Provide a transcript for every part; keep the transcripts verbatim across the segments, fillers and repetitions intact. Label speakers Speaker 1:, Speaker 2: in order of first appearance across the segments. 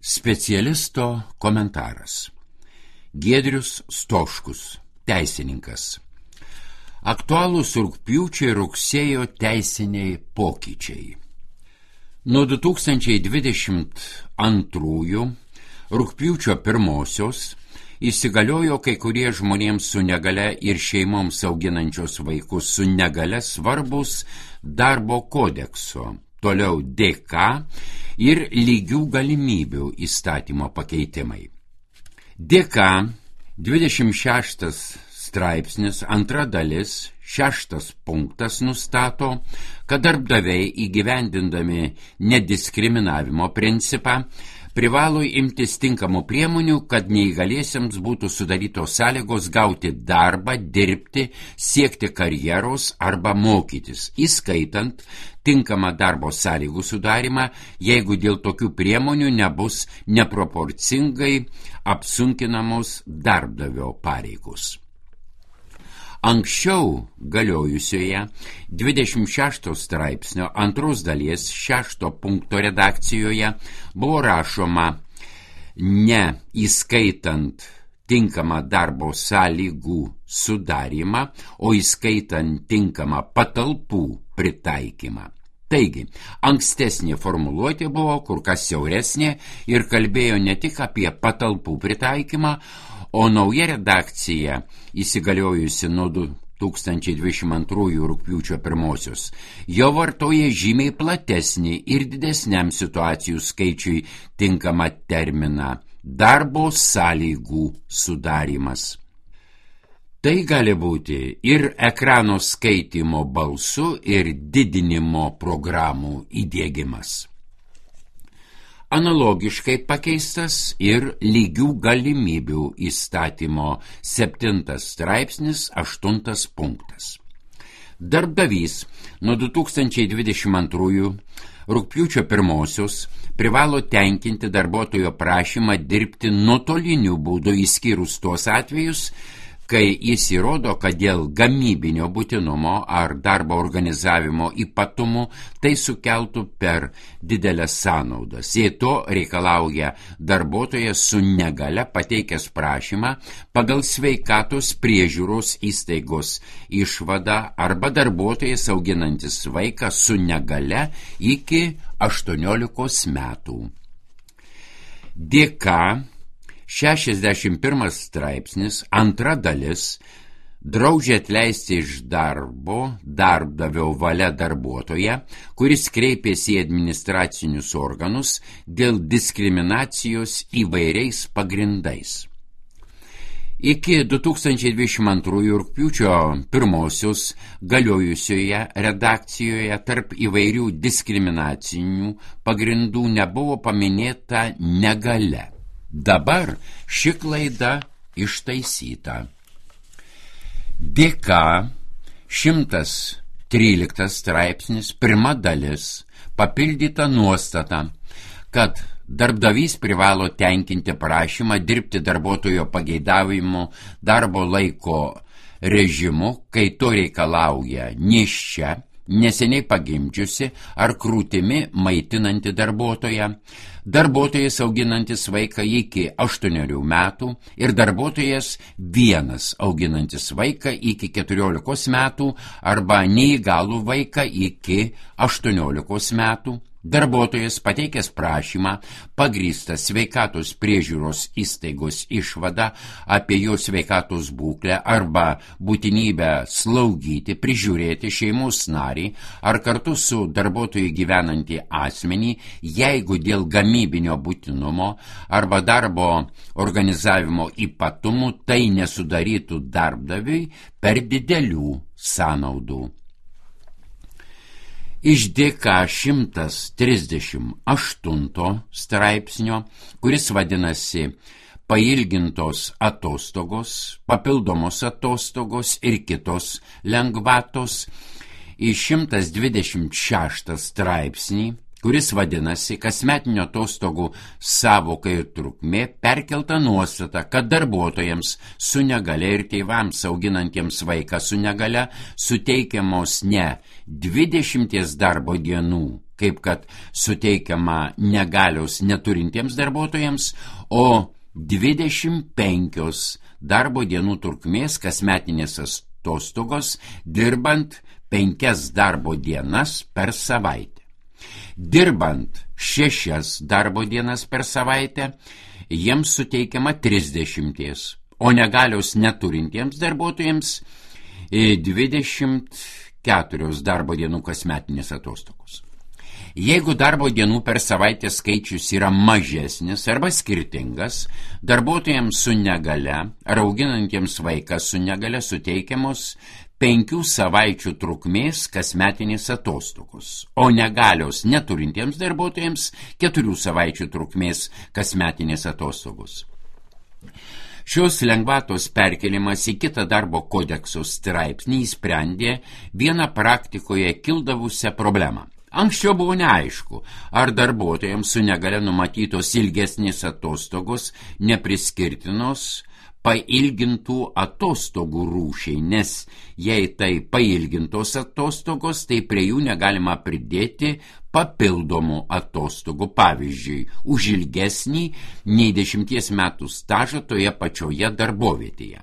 Speaker 1: Specialisto komentaras. Giedrius Stoškus, teisininkas. Aktualūs rugpjūčio ir rugsėjo teisiniai pokyčiai. Nuo du tūkstančiai dvidešimt antrųjų rugpjūčio pirmosios įsigaliojo kai kurie žmonėms su negale ir šeimoms auginančios vaikus su negale svarbus darbo kodekso, toliau D K ir lygių galimybių įstatymo pakeitimai. D K dvidešimt šeštas straipsnis, antra dalis, šeštas punktas nustato, kad darbdaviai įgyvendindami nediskriminavimo principą privalo imtis tinkamų priemonių, kad neįgaliesiems būtų sudarytos sąlygos gauti darbą, dirbti, siekti karjeros arba mokytis, įskaitant tinkamą darbo sąlygų sudarimą, jeigu dėl tokių priemonių nebus neproporcingai apsunkinamos darbdavio pareigos. Anksčiau galiojusioje dvidešimt šešto straipsnio antros dalies šešto punkto redakcijoje buvo rašoma ne įskaitant tinkamą darbo sąlygų sudarimą, o įskaitant tinkamą patalpų pritaikymą. Taigi, ankstesnė formuluotė buvo kur kas siauresnė ir kalbėjo ne tik apie patalpų pritaikymą, o nauja redakcija, įsigaliojusi nuo du tūkstančiai dvidešimt antrųjų rugpjūčio pirmosios, jo vartoja žymiai platesnį ir didesniam situacijų skaičiui tinkamą terminą – darbo sąlygų sudarymas. Tai gali būti ir ekrano skaitymo balsu ir didinimo programų įdiegimas. Analogiškai pakeistas ir lygių galimybių įstatymo septintas straipsnis, aštuntas punktas. Darbdavys nuo du tūkstančiai dvidešimt antrųjų rugpjūčio pirmosios privalo tenkinti darbuotojo prašymą dirbti nuotoliniu būdu, išskyrus tuos atvejus, kai jis įrodo, kad dėl gamybinio būtinumo ar darbo organizavimo ypatumų tai sukeltų per didelės sąnaudas. Jei to reikalauja darbuotojas su negale pateikęs prašymą pagal sveikatos priežiūros įstaigos išvadą arba darbuotojas auginantis vaiką su negale iki aštuoniolikos metų. D K šešiasdešimt pirmas straipsnis, antra dalis, draudžia atleisti iš darbo darbdavio valia darbuotoją, kuris kreipėsi į administracinius organus dėl diskriminacijos įvairiais pagrindais. Iki du tūkstančiai dvidešimt antrųjų rugpjūčio pirmosios galiojusioje redakcijoje tarp įvairių diskriminacinių pagrindų nebuvo paminėta negalia. Dabar ši klaida ištaisyta. D K šimtas tryliktas straipsnis, pirma dalis, papildyta nuostata, kad darbdavys privalo tenkinti prašymą dirbti darbuotojo pageidavimu darbo laiko režimu, kai to reikalauja nėščia, neseniai pagimdžiusi ar krūtimi maitinanti darbuotoja, darbuotojas auginantis vaiką iki aštuonerių metų ir darbuotojas vienas auginantis vaiką iki keturiolikos metų arba neįgalų vaiką iki aštuoniolikos metų. Darbuotojas pateikęs prašymą pagrįstą sveikatos priežiūros įstaigos išvadą apie jo sveikatos būklę arba būtinybę slaugyti, prižiūrėti šeimos narį ar kartu su darbuotoju gyvenantį asmenį, jeigu dėl gamybinio būtinumo arba darbo organizavimo ypatumų tai nesudarytų darbdaviui per didelių sąnaudų. Iš D K šimtas trisdešimt aštunto straipsnio, kuris vadinasi pailgintos atostogos, papildomos atostogos ir kitos lengvatos, į šimtas dvidešimt šeštą straipsnį, kuris vadinasi kasmetinių atostogų sąvoka ir trukmė, perkelta nuostata, kad darbuotojams su negale ir tėvams auginantiems vaiką su negale suteikiamos ne dvidešimties darbo dienų, kaip kad suteikiama negalios neturintiems darbuotojams, o dvidešimt penkios darbo dienų trukmės kasmetinės atostogos, dirbant penkias darbo dienas per savaitę. Dirbant šešias darbo dienas per savaitę, jiems suteikiama trisdešimties, o negalios neturintiems darbuotojams dvidešimt keturios darbo dienų kasmetinės atostogos. Jeigu darbo dienų per savaitę skaičius yra mažesnis arba skirtingas, darbuotojams su negale ar auginantiems vaiką su negale suteikiamos penkių savaičių trukmės kasmetinės atostogos, o negalios neturintiems darbuotojams keturių savaičių trukmės kasmetinės atostogos. Šios lengvatos perkelimas į kitą darbo kodekso straipsnį įsprendė vieną praktikoje kildavusią problemą. Anksčiau buvo neaišku, ar darbuotojams su negale numatytos ilgesnės atostogos nepriskirtinos pailgintų atostogų rūšiai, nes jei tai pailgintos atostogos, tai prie jų negalima pridėti papildomų atostogų, pavyzdžiui, už ilgesnį nei dešimties metų stažą toje pačioje darbovietėje.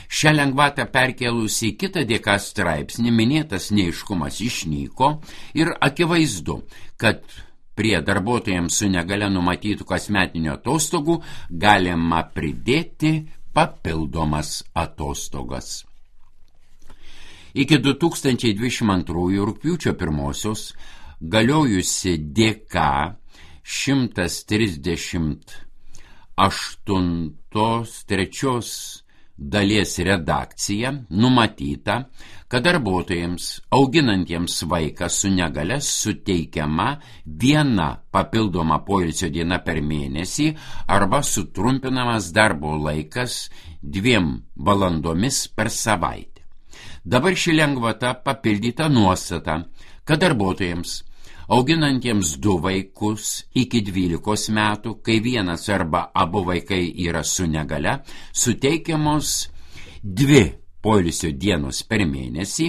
Speaker 1: Šią lengvatą perkelus į kitą D K straipsnį minėtas neaiškumas išnyko ir akivaizdu, kad prie darbuotojams su negale numatytų kasmetinių atostogų galima pridėti papildomas atostogas. Iki du tūkstančiai dvidešimt antrųjų rugpjūčio pirmosios galiojusi D K šimtas trisdešimt aštuntos trečios dalies redakcija numatyta, kad darbuotojams auginantiems vaiką su negale suteikiama viena papildoma poilsio diena per mėnesį arba sutrumpinamas darbo laikas dviem valandomis per savaitę. Dabar ši lengvata papildyta nuostata, kad darbuotojams auginantiems du vaikus iki dvylikos metų, kai vienas arba abu vaikai yra su negale, suteikiamos dvi poilsio dienos per mėnesį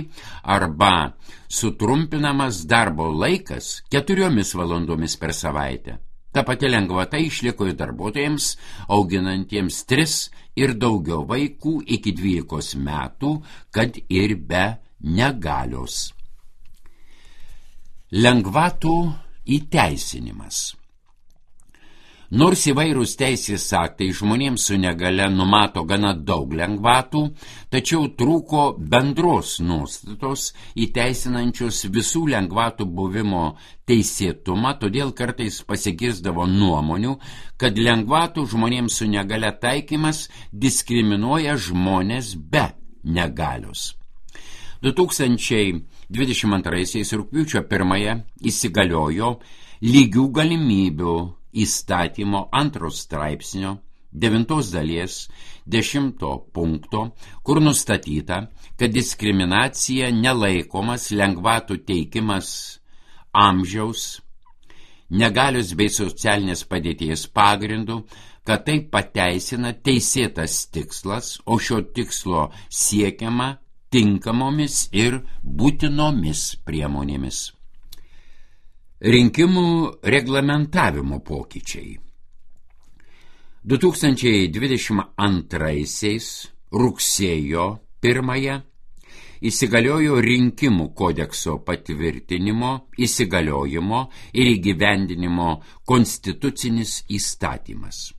Speaker 1: arba sutrumpinamas darbo laikas keturiomis valandomis per savaitę. Ta pati lengvata išliko ir darbuotojams auginantiems tris ir daugiau vaikų iki dvylikos metų, kad ir be negalios. Lengvatų įteisinimas. Nors įvairūs teisės aktai žmonėms su negale numato gana daug lengvatų, tačiau trūko bendros nuostatos įteisinančios visų lengvatų buvimo teisėtumą, todėl kartais pasigirsdavo nuomonių, kad lengvatų žmonėms su negale taikymas diskriminuoja žmonės be negalios. du tūkstančiai dvidešimt antraisiais rugpjūčio pirmąją įsigaliojo lygių galimybių įstatymo antros straipsnio devintos dalies dešimto punkto, kur nustatyta, kad diskriminacija nelaikomas lengvatų teikimas amžiaus, negalios bei socialinės padėties pagrindų, kad tai pateisina teisėtas tikslas, o šio tikslo siekiama tinkamomis ir būtinomis priemonėmis. Rinkimų reglamentavimo pokyčiai. du tūkstančiai dvidešimt antraisiais rugsėjo pirmąją įsigaliojo rinkimų kodekso patvirtinimo, įsigaliojimo ir įgyvendinimo konstitucinis įstatymas.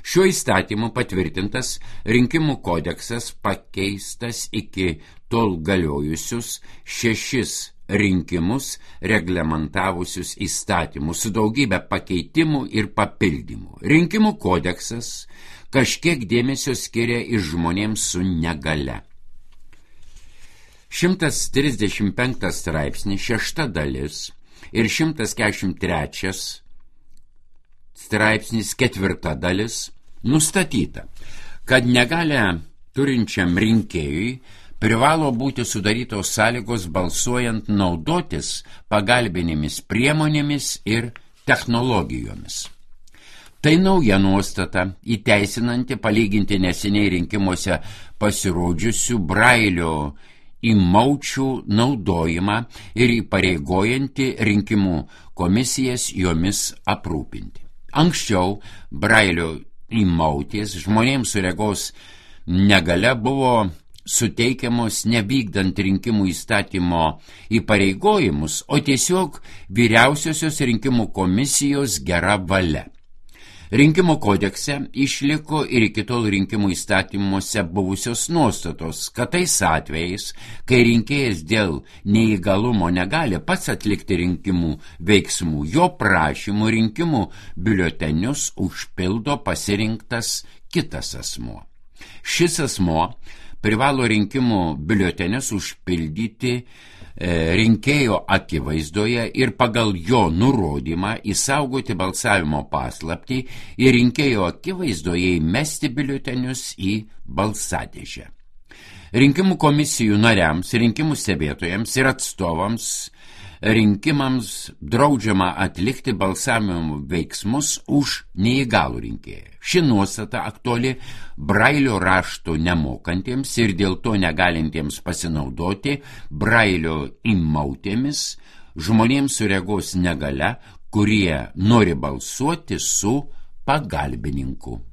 Speaker 1: Šiuo įstatymu patvirtintas rinkimų kodeksas pakeistas iki tol galiojusius šešis rinkimus reglamentavusius įstatymus su daugybė pakeitimų ir papildymų. Rinkimų kodeksas kažkiek dėmesio skiria ir žmonėms su negale. šimtas trisdešimt penktas straipsnis, šešta dalis ir šimtas keturiasdešimt trečias straipsnis, ketvirta dalis, nustatyta, kad negalę turinčiam rinkėjui privalo būti sudarytos sąlygos balsuojant naudotis pagalbinėmis priemonėmis ir technologijomis. Tai nauja nuostata, įteisinanti palyginti neseniai rinkimuose pasirodžiusių Brailio įmaučių naudojimą ir įpareigojanti rinkimų komisijas jomis aprūpinti. Anksčiau brailio įmautės žmonėms su regos negalia buvo suteikiamos nevykdant rinkimų įstatymo įpareigojimus, o tiesiog vyriausiosios rinkimų komisijos gera valia. Rinkimų kodekse išliko ir iki tol rinkimų įstatymuose buvusios nuostatos, kad tais atvejais, kai rinkėjas dėl neįgalumo negali pats atlikti rinkimų veiksmų, jo prašymų rinkimų biuletenius užpildo pasirinktas kitas asmuo. Šis asmuo privalo rinkimų biuletenius užpildyti rinkėjo akivaizdoje ir pagal jo nurodymą įsaugoti balsavimo paslaptį ir rinkėjo akivaizdoje įmesti biuletenius į balsadėžę. Rinkimų komisijų nariams, rinkimų stebėtojams ir atstovams rinkimams draudžiama atlikti balsavimo veiksmus už neįgalų rinkėją. Ši nuostata aktuali brailio rašto nemokantiems ir dėl to negalintiems pasinaudoti brailio įmautėmis žmonėms su regos negalia, kurie nori balsuoti su pagalbininku.